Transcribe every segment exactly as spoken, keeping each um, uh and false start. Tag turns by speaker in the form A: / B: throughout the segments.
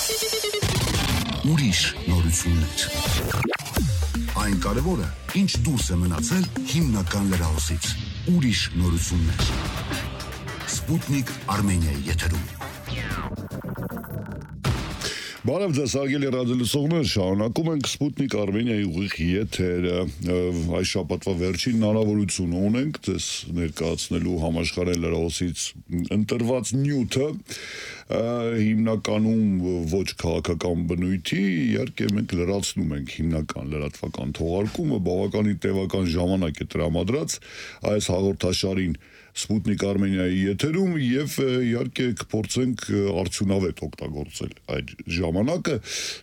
A: Ուրիշ նորություններ։ Այն կարևորը, ինչ դուրս է մնացել հիմնական լրահոսից։ Ուրիշ նորություններ։ Սպուտնիկ Արմենիայի եթերում։
B: Բարև ձեզ, հարգելի ռադիոլսողներ, շարունակում ենք Սպուտնիկ Արմենիայի ուղիղ եթերը։ Այս շաբաթվա վերջին հնարավորությունը ունենք ձեզ ներկայացնելու համաշխարհային լրահոսից ընտրված նյութը, հիմնականում ոչ քաղաքական բնույթի, իհարկե մենք լրացնում ենք հիմնական լրատվական թողարկումը, բավականին տևական ժամանակ է տրամադրած այս հաղորդաշարին Սպուտնիկ Արմենիայի եթերում եւ իհարկե կփորձենք արդյունավետ օգտագործել այդ ժամանակը։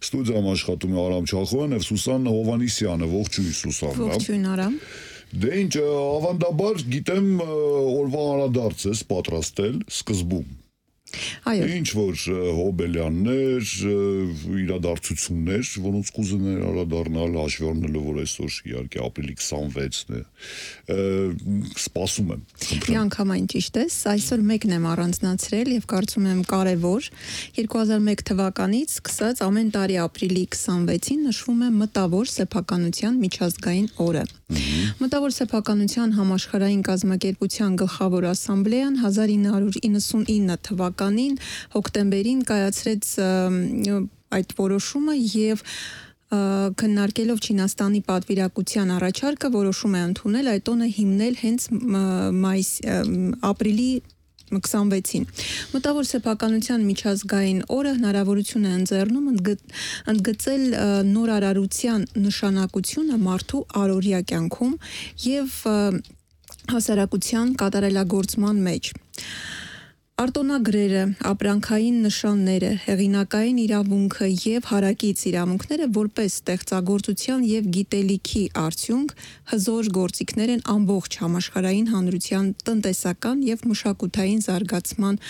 B: Ստուդիայում աշխատում է Արամ Չախոյան եւ Սուսան Հովանիսյանը։ Ողջույն Սուսան։
C: Ողջույն Արամ։
B: Դե ինչ, ավանդաբար գիտեմ օրվա անդրադարձ ես պատրաստել սկզբում։
C: Այո։
B: Ինչ որ հոբելյաններ, իրադարձություններ, որոնց կուզեներ անդրադառնալ, հաշվի առնելով, որ այսօր իհարկե ապրիլի քսանվեցն է, սպասում եմ։
C: Միանգամայն ճիշտ ես, այսօր մեկն եմ առանձնացրել եւ կարծում եմ կարեւոր, երկու հազար մեկ թվականից սկսած ամեն տարի ապրիլի քսանվեցին նշվում է մտավոր սեփականության միջազգային օրը։ Մտավոր սեփականության համաշխարհային կազմակերպության գլխավոր ասամբլեան հազար ինը հարյուր իննսունինը թվականին հոկտեմբերին կայացրեց այդ որոշումը եւ քննարկելով Չինաստանի պատվիրակության առաջարկը որոշում է ընդունել այդ տոնը հիմնել հենց մայիս ապրիլի քսանվեցին։ Մտավոր սեփականության միջազգային օրը հնարավորություն է ընձեռնում ընդգծել նորարարության նշանակությունը մարդու առօրյա կյանքում եւ հասարակության կատարելագործման մեջ։ Արտոնագրերը, ապրանքային նշանները, հեղինակային իրավունքը եւ հարակից իրավունքները որպես ստեղծագործության եւ գիտելիքի արդյունք հզոր գործիքներ են ամբողջ համաշխարհային հանրության տնտեսական եւ մշակութային զարգացման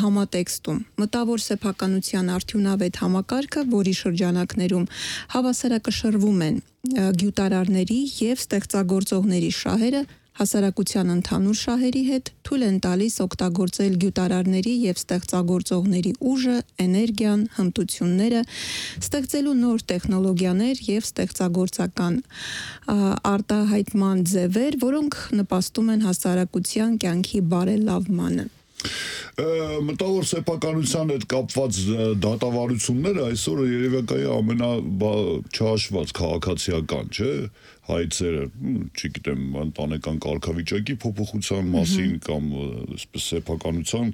C: համատեքստում։ Մտավոր սեփականության արդյունավետ համակարգը, որի շրջանակներում հավասարակշռվում են գյուտարարների եւ ստեղծագործողների շահերը, հասարակության ընդհանուր շահերի հետ թույլ են տալիս օգտագործել գյուտարարների եւ ստեղծագործողների ուժը, էներգիան, հմտությունները, ստեղծելու նոր տեխնոլոգիաներ եւ ստեղծագործական արտահայտման ձևեր, որոնք նպաստում են հասարակության կյանքի բարելավմանը։
B: Մտավոր սեփականության հետ կապված դատավարությունները այսօր երևակայ ամենաչհաշված քաղաքացիական, չէ՞, հայցերը, չգիտեմ, ընտանեկան կարգավիճակի փոփոխության մասին կամ այսպես սեփականության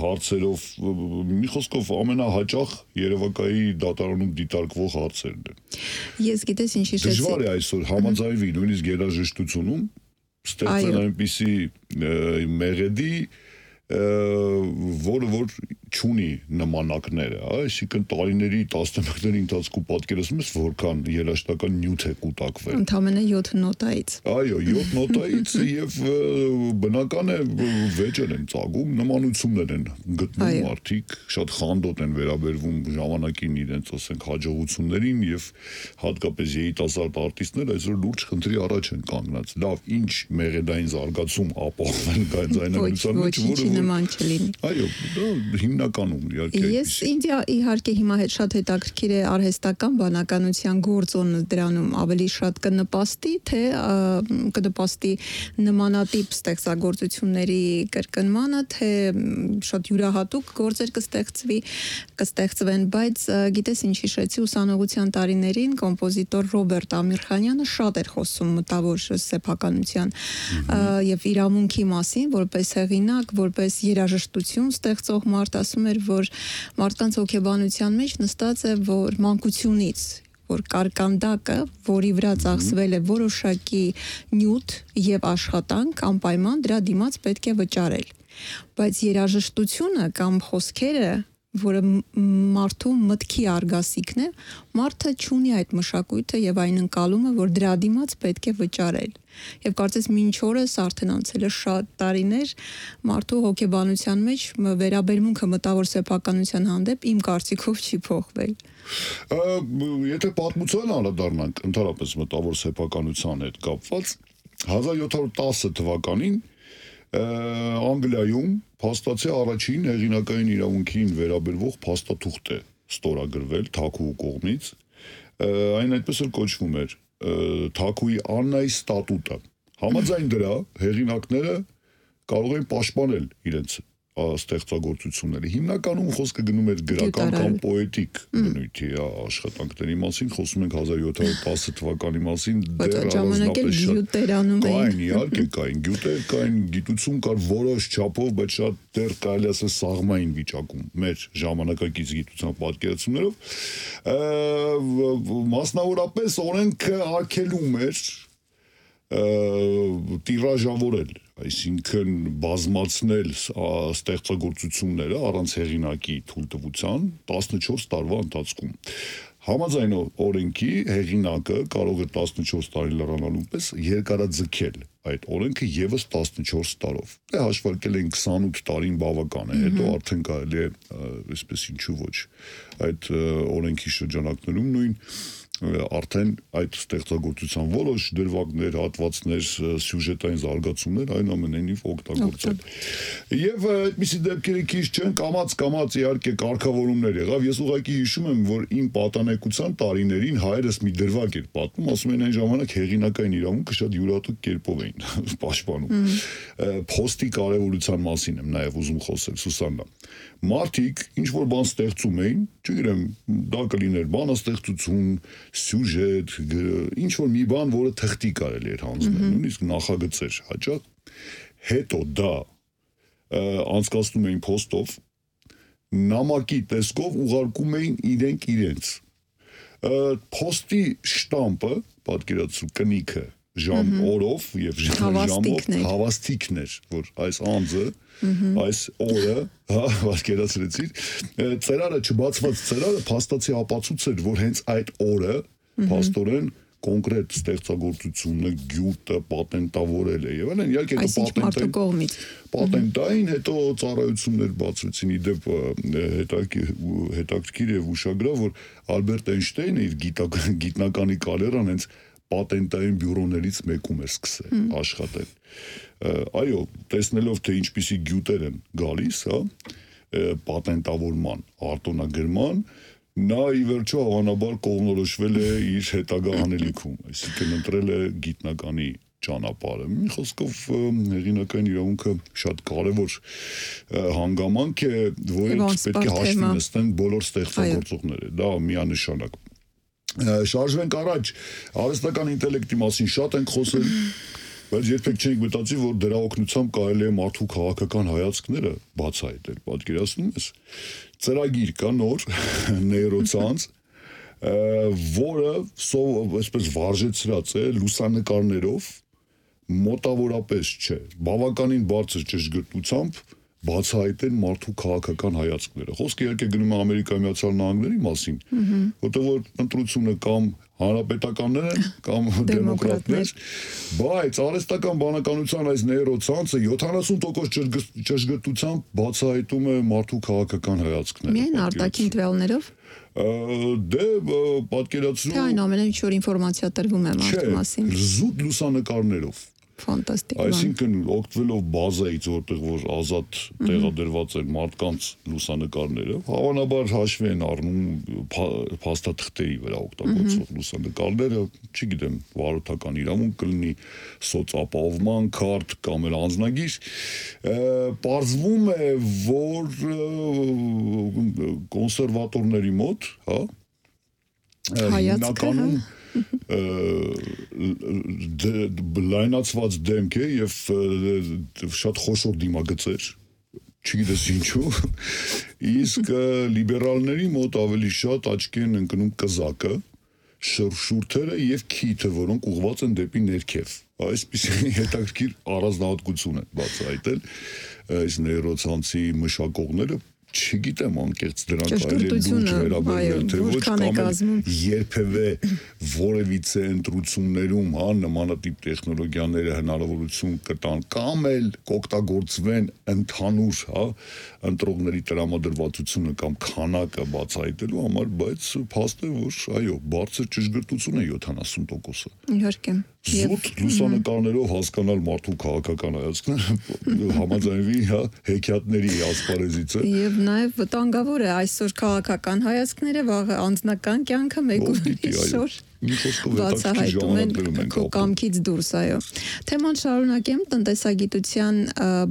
B: հարցերով, մի խոսքով ամենահաճախ երևակայի դատարանում դիտարկվող հարցերն են։
C: Ես գիտես ինչ հիշեցի։
B: Դժվար է այսօր համաձայնվի նույնիսկ երաժշտությունում ստեղծել այնպիսի մեղեդի, որը որ չունի նմանակները, այսինքն տարիների տասնամյակների ընթացքում պատկերացնում ես որքան երաժշտական նյութ է կուտակվել։
C: Ընդամենը յոթ նոտայից։
B: Այո, յոթ նոտայից եւ բնական է վեճեր են ծագում, նմանություններ են գտնում մարդիկ, շատ խանդոտ են վերաբերվում ժամանակին իրենց, ասենք, հաջողություններին եւ հատկապես երիտասարդ արտիստներ այսօր լուրջ խնդրի առաջ են կանգնած։ Լավ, ինչ մեղեդային զարգացում ապահովել գայձայնագրության մեջ, որը նման չլինի։ Այո, դա հիմնականում իհարկե։
C: Ես ինձ իհարկե հիմա հետ շատ հետաքրքիր է արհեստական բանականության գործոնը դրանում ավելի շատ կնպաստի, թե կնպաստի նմանատիպ ստեղծագործությունների կրկնմանը, թե շատ յուրահատուկ գործեր կստեղծվի, կստեղծվեն, բայց գիտես ինչ հիշեցի, ուսանողության տարիներին կոմպոզիտոր Ռոբերտ Ամիրխանյանը շատ էր խոսում մտավոր սեփականության եւ իրավունքի մասին, որպես հեղինակ, որպես երաժշտություն ստեղծող մարդ, ասում էր, որ մարդկանց հոգեբանության մեջ նստած է, որ մանկությունից, որ կարկանդակը, որի վրա ծախսվել է որոշակի նյութ եւ աշխատանք, անպայման դրա դիմաց պետք է վճարել։ Բայց երաժշտությունը կամ խոսքերը, որը մարդու մտքի արգասիքն է, մարդը չունի այդ մշակույթը եւ այն ընկալումը, որ դրա դիմաց պետք է վճարել։ Եվ կարծես մինչ օրս արդեն անցել է շատ տարիներ մարդու հոգեբանության մեջ վերաբերմունքը մտավոր սեփականության հանդեպ իմ կարծիքով չի փոխվել։
B: Եթե պատմության անդրադառնանք ընդհանրապես մտավոր սեփականության հետ կապված, հազար յոթ հարյուր տասը թվականին Անգլիայում փաստացի առաջին հեղինակային իրավունքին վերաբերվող փաստաթուղթ է ստորագրվել Թաքուի կողմից, այն այդպես էլ կոչվում էր Թաքուի Աննայի ստատուտը։ Համաձայն դրա հեղինակները կարող են պաշտպանել իրենց ստեղծագործությունները։ Հիմնականում խոսքը գնում էր գրական կամ պոետիկ բնույթի աշխատանքների մասին, խոսում ենք հազար յոթ հարյուր տասը թվականի մասին,
C: դեռ առանձնապես շատ
B: կային, իհարկե կային, գյուտեր կային, գիտություն կար որոշ չափով, բայց շատ դեռ կարելի ասել սաղմային վիճակում մեր ժամանակակից գիտության պատկերացումներով, մասնավորապես օրենքը արգելում էր տիրաժավորել, այսինքն բազմացնել ստեղծագործությունները առանց հեղինակի թույլտվության տասնչորս տարվա ընթացքում։ Համաձայն օրենքի հեղինակը կարող է տասնչորս տարի լրանալու պես երկարաձգել այդ օրենքը եւս տասնչորս տարով։ Դե հաշվարկել են քսանութ տարին բավական է, հետո արդեն կարելի է, այսպես ինչու ոչ, այդ օրենքի շրջանակներում նույն արդեն այդ ստեղծագործության որոշ դրվագներ, հատվածներ, սյուժետային զարգացումներ այնուամենայնիվ օգտագործել։ Եվ այդպիսի դեպքերը քիչ չեն, կամաց-կամաց իհարկե կարգավորումներ եղավ։ Ես ուղղակի հիշում եմ, որ իմ պատանեկության տարիներին հայրս մի դրվագ էր պատմում, ասում են այն ժամանակ հեղինակային իրավունքը շատ յուրատուկ կերպով էին պաշտպանում։ Փոստի կարևորության մասին եմ նաև ուզում խոսել, Սուսաննա։ Մարդիկ ինչ որ բան ստեղծում էին, չգիտեմ, դա կլիներ բանաստեղծություն, սյուժետ, ինչ որ մի բան, որը թղթի կարելի էր հանձնել, նույնիսկ նախագծեր հաճախ, հետո դա անցկացնում էին փոստով, նամակի տեսքով ուղարկում էին իրենք իրենց։ Փոստի շտամպը, պատկերացրու կնիքը, ժամ օրով եւ ժամով հավաստիքն էր, որ այս անձը այս օրը, հա, պատկերացրեցիր, ծերարը չբացված ծերարը փաստացի ապացույց էր, որ հենց այդ օրը փաստորեն կոնկրետ ստեղծագործությունը, գյուտը պատենտավորել է եւ այլն, իհարկե
C: պատենտային
B: պատենտային հետո ծառայություններ բացվեցին, իդեպ հետաքրքիր եւ ուշագրավ, որ Ալբերտ Էյնշտեյնը իր գիտնականի կարիերան հենց պատենտային բյուրոներից մեկում էր սկսել աշխատել։ Այո, տեսնելով թե ինչպիսի գյուտեր են գալիս, հա, պատենտավորման, արտոնագրման, նա ի վերջո հավանաբար կողմնորոշվել է իր հետագա անելիքում, այսինքն ընտրել է գիտնականի ճանապարհը։ Մի խոսքով հեղինակային իրավունքը շատ կարևոր հանգամանք է, որից պետք է հաշվի նստեն բոլոր ստեղծագործողները։ Դա միանշանակ։ Շարժվենք առաջ, արհեստական ինտելեկտի մասին շատ ենք խոսել, բայց երբեք չենք մտածի, որ դրա օգնությամբ կարելի է մարդու քաղաքական հայացքները բացահայտել, պատկերացնում ես։ Ծրագիր կա նոր, նեյրոցանց, որը այսպես վարժեցրած է լուսանկարներով, մոտավորապես չէ, բավականին բարձր ճշգրտությամբ բացահայտեն մարդու քաղաքական հայացքները։ Խոսքը իհարկե գնում է Ամերիկայի Միացյալ Նահանգների մասին, որտեղ որ ընտրությունը կամ հանրապետականներ են, կամ դեմոկրատներ, բայց արհեստական բանականության այս նեյրոցանցը յոթանասուն տոկոս ճշգրտությամբ բացահայտում է մարդու քաղաքական հայացքները։
C: Միայն արտաքին տվյալներով։
B: Դե պատկերացրու։
C: Թե այն ամենը ինչ որ ինֆորմացիա տրվում է մարդու մասին։
B: Զուտ լուսանկարներով։
C: Ֆանտաստիկ։
B: Այսինքն օգտվելով բազայից, որտեղ որ ազատ տեղադրված են մարդկանց լուսանկարները, հավանաբար հաշվի են առնում փաստաթղթերի վրա օգտագործող լուսանկարները, չգիտեմ, վարորդական իրավունք կլինի, սոցապահովման քարտ կամ էլ անձնագիր, պարզվում է, որ կոնսերվատորների մոտ, հա,
C: հայացքը
B: լայնացված դեմք է եւ շատ խոշոր դիմագծեր, չգիտես ինչու, իսկ լիբերալների մոտ ավելի շատ աչքի են ընկնում կզակը, շուրթերը եւ քիթը, որոնք ուղղված են դեպի ներքև։ Այսպիսի հետաքրքիր առանձնահատկություն է բացահայտել այս նեյրոցանցի մշակողները, չգիտեմ անկեղծ դրանք այլ լուրջ վերաբերվել թե ոչ կամ երբևէ որևիցե ընտրություններում հա նմանատիպ տեխնոլոգիաները հնարավորություն կտան կամ էլ կօգտագործվեն ընդհանուր հա ընտրողների տրամադրվածությունը կամ քանակը բացահայտելու համար, բայց փաստ է որ այո բարձր ճշգրտություն է յոթանասուն տոկոսը
C: իհարկե
B: զուտ լուսանկարներով հասկանալ մարդու քաղաքական հայացքները համաձայնվի հա հեքիաթների ասպարեզից է
C: եւ նաեւ վտանգավոր է այսօր քաղաքական հայացքները վաղը անձնական կյանքը մեկ ու այսօր բացահայտում են քո կամքից դուրս այո թեման շարունակեմ տնտեսագիտության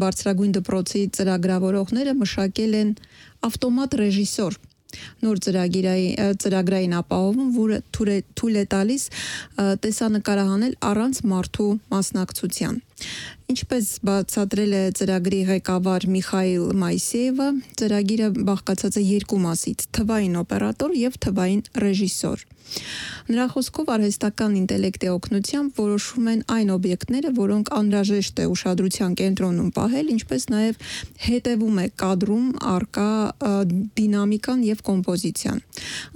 C: բարձրագույն դպրոցի ծրագրավորողները մշակել են ավտոմատ ռեժիսոր նոր ծրագրային ծրագրային ապահովում, որը թույլ է տալիս տեսանկարահանել առանց մարդու մասնակցության։ Ինչպես բացատրել է ծրագրի ղեկավար Միխայիլ Մայսեևը, ծրագիրը բաղկացած է երկու մասից՝ թվային օպերատոր եւ թվային ռեժիսոր։ Նրա խոսքով արհեստական ինտելեկտի օգնությամբ որոշվում են այն օբյեկտները, որոնք անհրաժեշտ է ուշադրության կենտրոնում պահել, ինչպես նաև հետևում է կադրում առկա դինամիկան եւ կոմպոզիցիան։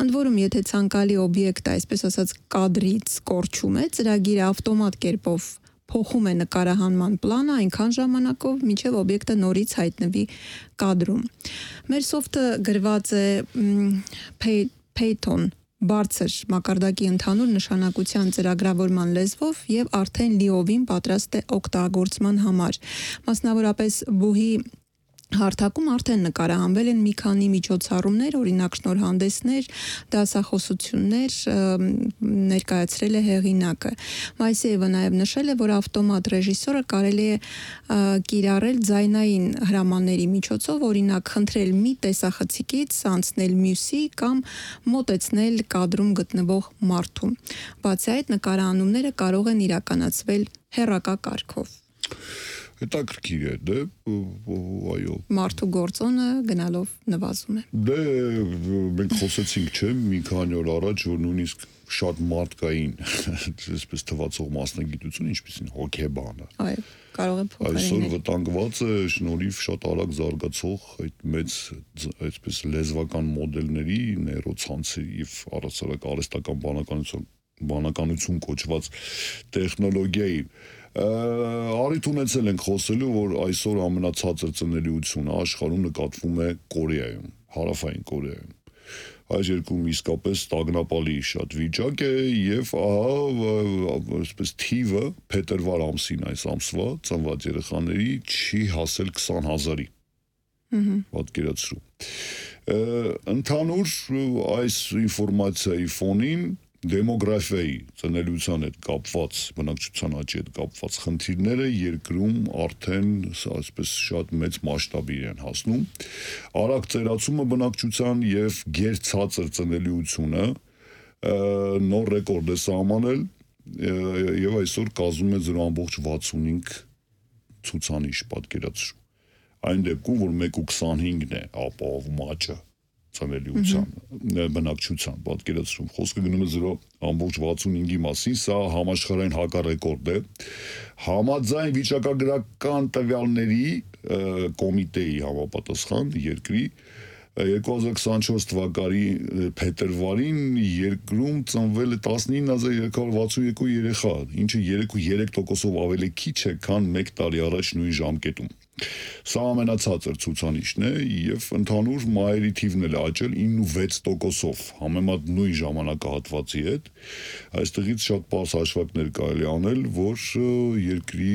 C: Ընդ որում, եթե ցանկալի օբյեկտը, այսպես ասած, կադրից կորչում է, ծրագիրը ավտոմատ կերպով փոխում է նկարահանման պլանը այնքան ժամանակով, մինչև օբյեկտը նորից հայտնվի կադրում։ Մեր սոֆթը գրված է Python բարձր մակարդակի ընդհանուր նշանակության ծրագրավորման լեզվով եւ արդեն լիովին պատրաստ է օգտագործման համար։ Մասնավորապես բուհի հարթակում արդեն նկարահանվել են մի քանի միջոցառումներ, օրինակ շնորհանդեսներ, դասախոսություններ ներկայացրել է հեղինակը։ Մայսեևը նաև նշել է, որ ավտոմատ ռեժիսորը կարելի է կիրառել ձայնային հրամանների միջոցով, օրինակ խնդրել մի տեսախցիկից անցնել մյուսի կամ մոտեցնել կադրում գտնվող մարդու։ Բացի այդ, նկարահանումները կարող են իրականացվել հեռակա կարգով։
B: Հետաքրքիր է, դե, այո։
C: Մարդու գործոնը գնալով նվազում է։
B: Դե, մենք խոսեցինք, չէ, մի քանի օր առաջ, որ նույնիսկ շատ մարդկային, այսպես թվացող մասնագիտություն, ինչպիսին հոգեբանը։
C: Այո, կարող է փոխարինել։
B: Այսօր վտանգված է շնորհիվ շատ արագ զարգացող այդ մեծ, այսպես լեզվական մոդելների, նեյրոցանցերի եւ առասարակ արհեստական բանականություն, բանականություն կոչված տեխնոլոգիայի Արիթ ունեցել ենք խոսելու, որ այսօր ամենացածր ծնելիությունը աշխարհում նկատվում է Կորեայում, Հարավային Կորեայում։ Այս երկում իսկապես տագնապալի շատ վիճակ է եւ ահա այսպես թիվը փետրվար ամսին այս ամսվա ծնված երեխաների չի հասել քսան հազարի։ Պատկերացրու։ Ընդհանուր այս ինֆորմացիայի ֆոնին դեմոգրաֆիայի ծնելիության հետ կապված, բնակչության աճի հետ կապված խնդիրները երկրում արդեն այսպես շատ մեծ մասշտաբի են հասնում։ Արագ ծերացումը բնակչության եւ գերցածր ծնելիությունը նոր ռեկորդ է սահմանել եւ այսօր կազմում է զրո բացի վաթսունհինգ ցուցանիշ, պատկերացրու։ Այն դեպքում, որ մեկ ու քսանհինգն է ապահովում աճը ծնելիության բնակչության, պատկերացրու, խոսքը գնում է զրո բացի վաթսունհինգի մասին, սա համաշխարհային հակառեկորդ է։ Համաձայն վիճակագրական տվյալների կոմիտեի համապատասխան երկրի երկու հազար քսանչորս թվականի փետրվարին երկրում ծնվել է տասնինը հազար երեք հարյուր վաթսունյոթ երեխա, ինչը երեք ու երեք տոկոսով ավելի քիչ է, քան մեկ տարի առաջ նույն ժամկետում։ Սա ամենացածր ցուցանիշն է եւ ընդհանուր մայրի թիվն էլ աճել ինը ու վեց տոկոսով, համեմատ նույն ժամանակահատվածի հետ։ Այստեղից շատ պարզ հաշվարկներ կարելի անել, որ երկրի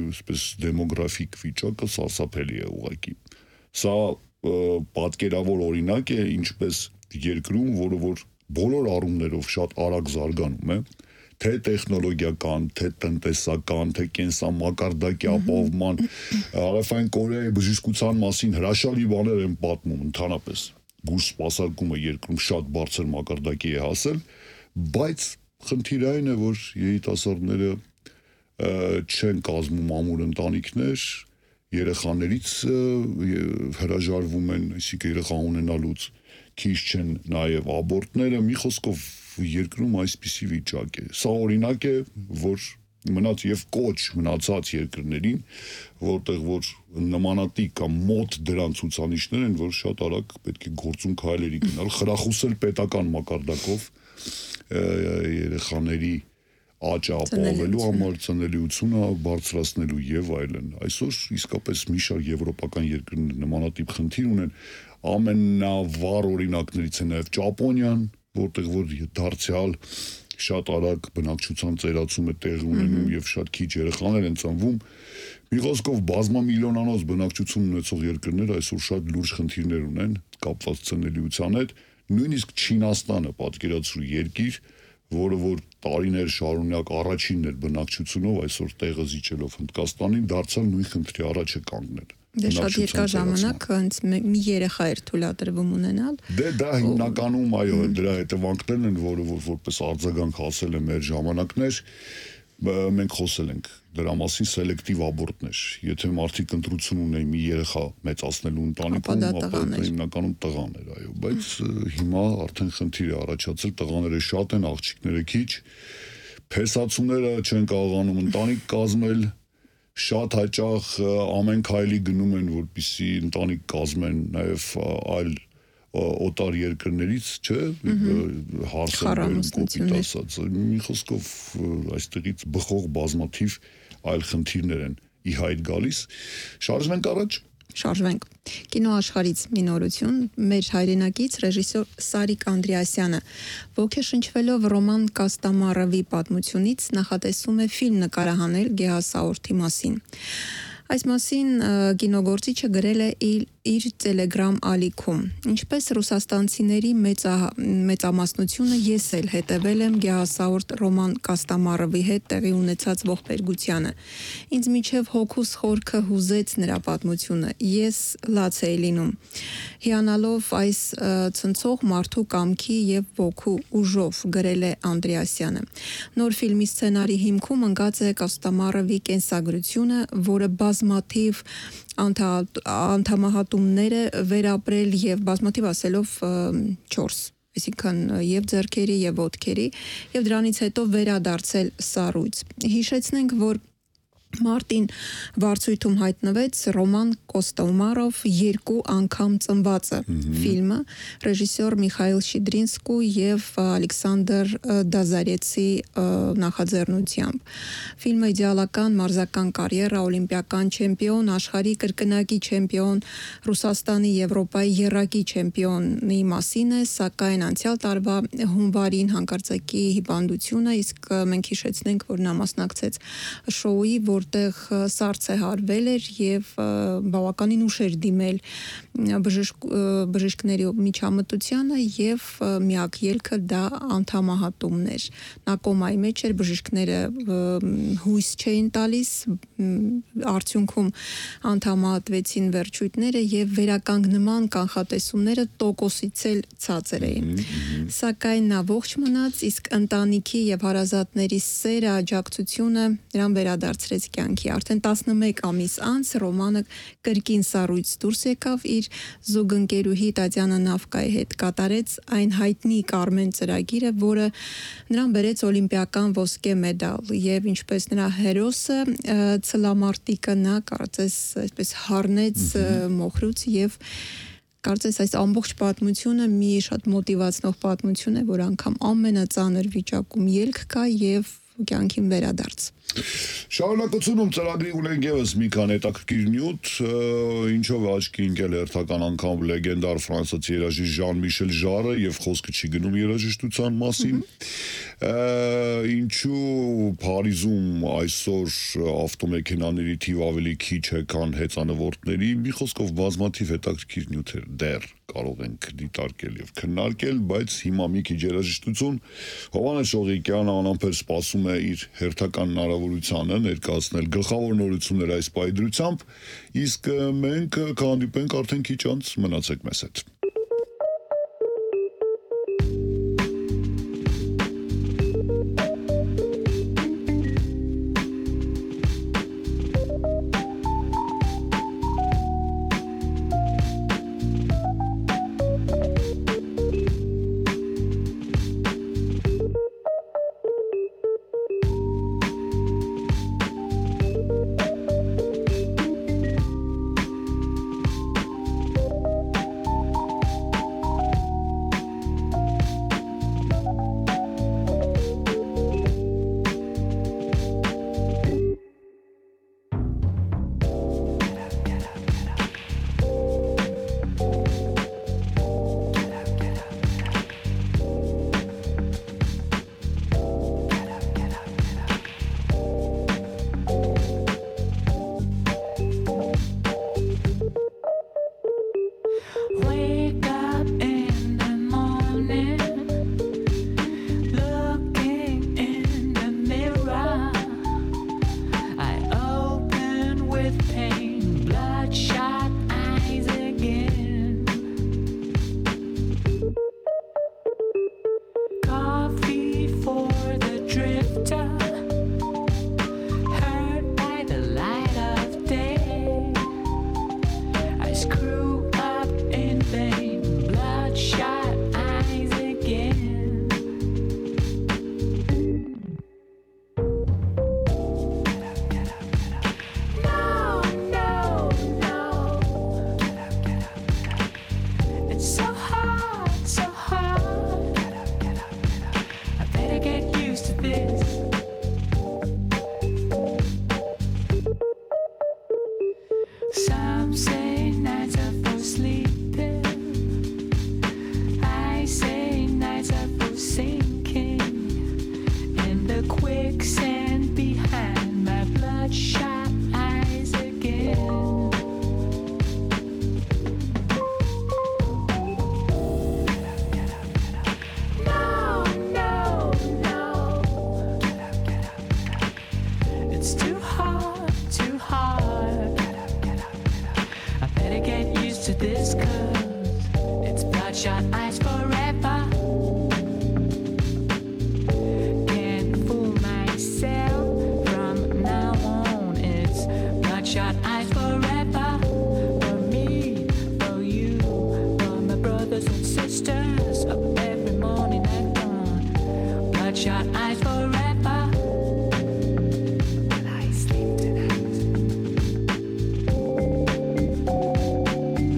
B: այսպես դեմոգրաֆիկ վիճակը սարսափելի է ուղղակի։ Սա պատկերավոր օրինակ է, ինչպես երկրում, որը որ բոլոր առումներով շատ արագ զարգանում է, թե տեխնոլոգիական, թե տնտեսական, թե կենսամակարդակի ապահովման, Հարավային Կորեայի բժշկության մասին հրաշալի բաներ են պատմում ընդհանրապես։ Բուժ սպասարկումը երկրում շատ բարձր մակարդակի է հասել, բայց խնդիրը այն է, որ երիտասարդները չեն կազմում ամուր ընտանիքներ, երեխաներից հրաժարվում են, այսինքն երեխա ունենալուց, քիչ չեն նաև աբորտները, մի խոսքով երկրում այսպիսի վիճակ է։ Սա օրինակ է, որ մնաց եւ կոչ մնացած երկրներին, որտեղ որ նմանատիպ կամ մոտ դրան ցուցանիշներ են, որ շատ արագ պետք է գործուն քայլերի գնալ, խրախուսել պետական մակարդակով երեխաների աճ ապահովելու համար, ծնելիությունը բարձրացնելու եւ այլն։ Այսօր իսկապես մի շարք եվրոպական երկրներ նմանատիպ խնդիր ունեն, ամենավառ օրինակներից է նաեւ Ճապոնիան, որտեղ որ դարձյալ շատ արագ բնակչության ծերացում է տեղի ունենում եւ շատ քիչ երեխաներ են ծնվում։ Մի խոսքով բազմամիլիոնանոց բնակչություն ունեցող երկրները այսօր շատ լուրջ խնդիրներ ունեն կապված ծնելիության հետ, նույնիսկ Չինաստանը պատկերացրու երկիր, որը որ տարիներ շարունակ առաջինն էր բնակչությունով, այսօր տեղը զիջելով Հնդկաստանին, դարձյալ նույն խնդրի առաջ է կանգնել։
C: Դե շատ երկար ժամանակ հենց մի երեխա էր թույլատրվում ունենալ։
B: Դե դա հիմնականում այո, դրա հետևանքներն են, որը որպես արձագանք հասել է մեր ժամանակներ, մենք խոսել ենք դրա մասին սելեկտիվ աբորտներ։ Եթե մարդիկ ընտրություն ունեն մի երեխա մեծացնելու ընտանիքում, ապա դա հիմնականում տղան էր, այո, բայց հիմա արդեն խնդիր է առաջացել, տղաները շատ են, աղջիկները քիչ, փեսացուները չեն կարողանում ընտանիք կազմել, շատ հաճախ ամեն քայլի գնում են, որպեսզի ընտանիք կազմեն նաև այլ օտար երկրներից, չէ, հարսանքներ, կոպիտ ասած, մի խոսքով այստեղից բխող բազմաթիվ այլ խնդիրներ են ի հայտ գալիս։ Շարժվենք առաջ։
C: Շարժվենք։ Կինոաշխարհից մի նորություն, մեր հայրենակից ռեժիսոր Սարիկ Անդրեասյանը ոգեշնչվելով Ռոման Կաստամարովի պատմությունից նախատեսում է ֆիլմ նկարահանել գեհասաորթի մասին։ Այս մասին կինոգործիչը գրել է իր, իր Telegram ալիքում։ Ինչպես ռուսաստանցիների մեծա, մեծամասնությունը ես էլ հետևել եմ գեհասաորթ Ռոման Կաստամարովի հետ տեղի ունեցած ողբերգությանը։ Ինձ միջև հոգուս խորքը հուզեց նրա պատմությունը։ Ես լաց էի լինում։ Հիանալով այս ցնցող մարդու կամքի եւ ոգու ուժով գրել է Անդրեասյանը։ Նոր ֆիլմի սցենարի հիմքում ընկած է Կաստամարովի կենսագրությունը, որը բազմաթիվ անդամահատումներ է վերապրել եւ բազմաթիվ ասելով չորս, այսինքն եւ ձեռքերի եւ ոտքերի, եւ դրանից հետո վերադարձել սառույց։ Հիշեցնենք, որ մարտին վարձույթում հայտնվեց Ռոման Կոստոմարով երկու անգամ ծնվածը ֆիլմը ռեժիսոր Միխայել Շիդրինսկու եւ Ալեքսանդր Դազարեցի նախաձեռնությամբ։ Ֆիլմը իդեալական մարզական կարիերա, օլիմպիական չեմպիոն, աշխարհի կրկնակի չեմպիոն, Ռուսաստանի, Եվրոպայի եռակի չեմպիոնի մասին է, սակայն անցյալ տարվա հունվարին հանկարծակի հիվանդությունը, իսկ մենք հիշեցնենք, որ նա մասնակցեց շոուի, որտեղ սառց է հարվել էր եւ բավականին ուշ էր դիմել բժիշկ բժիշկների միջամտությանը եւ միակ ելքը դա անդամահատումն էր։ Նա կոմայի մեջ էր, բժիշկները հույս չէին տալիս, արդյունքում անդամահատվեցին վերջույթները եւ վերականգնման կանխատեսումները տոկոսից էլ ցածր էին։ Սակայն նա ողջ մնաց, իսկ ընտանիքի եւ հարազատների սերը, աջակցությունը նրան վերադարձրեց կյանքի։ Արդեն տասնմեկ ամիս անց Ռոմանը կրկին սառույց դուրս եկավ իր զուգընկերուհի Տատյանա Նավկայի հետ, կատարեց այն հայտնի Կարմեն ծրագիրը, որը նրան բերեց օլիմպիական ոսկե մեդալ եւ ինչպես նրա հերոսը ցլամարտիկը նա կարծես այսպես հառնեց մոխրուց եւ կարծես այս ամբողջ պատմությունը մի շատ մոտիվացնող պատմություն է, որ անգամ ամենածանր վիճակում ելք կա եւ կյանքին վերադարձ։
B: Շարունակությունում ծրագրի ունենք ևս մի քանի հետաքրքիր նյութ, ինչով է աչքի ընկել հերթական անգամ լեգենդար ֆրանսիացի երաժիշտ Ժան-Միշել Ժարը եւ խոսքը չի գնում երաժշտության մասին։ Ինչու Փարիզում այսօր ավտոմեքենաների թիվ ավելի քիչ է, քան հեծանվորդների, մի խոսքով բազմաթիվ հետաքրքիր նյութեր դեռ կարող ենք դիտարկել եւ քննարկել, բայց հիմա մի քիչ երաժշտություն Հովհաննես Շողիկյանը անամբեր սպասում է իր հերթական հնարավորությանը ներկայացնել գլխավոր նորություններ այս պայդրությամբ, իսկ մենք կհանդիպենք արդեն քիչ անց, մնացեք մեզ հետ։